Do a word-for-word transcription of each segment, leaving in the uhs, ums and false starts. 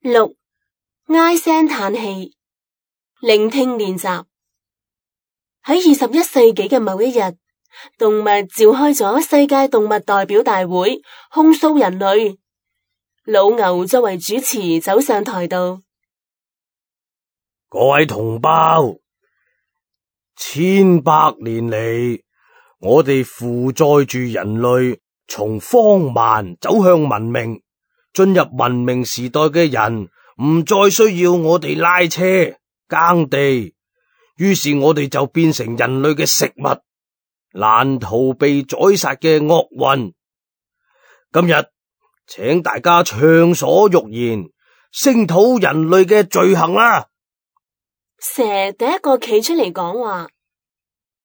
六、唉聲嘆氣，聆聽練習。喺二十一世紀嘅某一日，動物召開咗世界動物代表大會，控訴人類。老牛作為主持走上台度，各位同胞，千百年嚟，我哋負載住人類從荒蠻走向文明，進入文明時代嘅人唔再需要我哋拉車耕地，於是我哋就變成人類嘅食物，難逃被宰殺嘅厄運。今日請大家暢所欲言，聲討人類嘅罪行啦。蛇第一個企出嚟講話：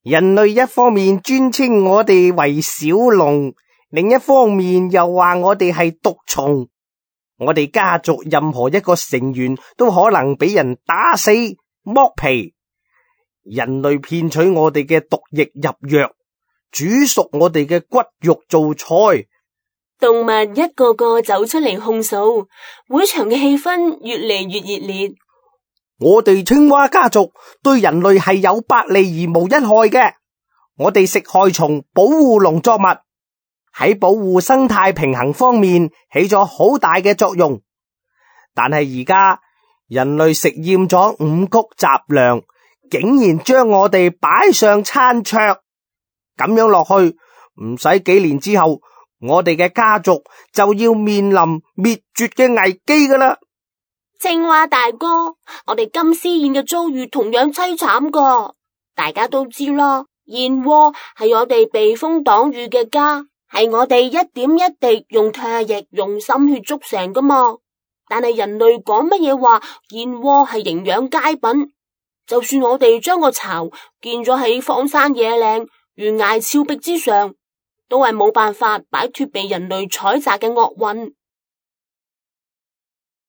人類一方面尊稱我哋為小龍，另一方面又話我哋係毒蟲。我哋家族任何一個成員都可能俾人打死剝皮。人類騙取我哋嘅毒液入藥，煮熟我哋嘅骨肉做菜。動物一個個走出嚟控訴，會場嘅氣氛越嚟越熱烈。我哋青蛙家族對人類係有百利而無一害嘅。我哋食害蟲，保護農作物，喺保護生態平衡方面起咗好大嘅作用。但係而家人類食厭咗五穀雜糧，竟然將我哋擺上餐桌，咁樣落去，唔使幾年之後，我哋嘅家族就要面臨滅絕嘅危機噶啦。青蛙大哥，我哋金絲燕嘅遭遇同樣淒慘噶。大家都知啦，燕窩係我哋避風擋雨嘅家，係我哋一點一滴用唾液用心血築成噶嘛。但係人類講乜嘢話燕窩係營養佳品，就算我哋將個巢建咗喺荒山野嶺懸崖峭壁之上，都係冇辦法擺脫被人類採摘嘅厄運。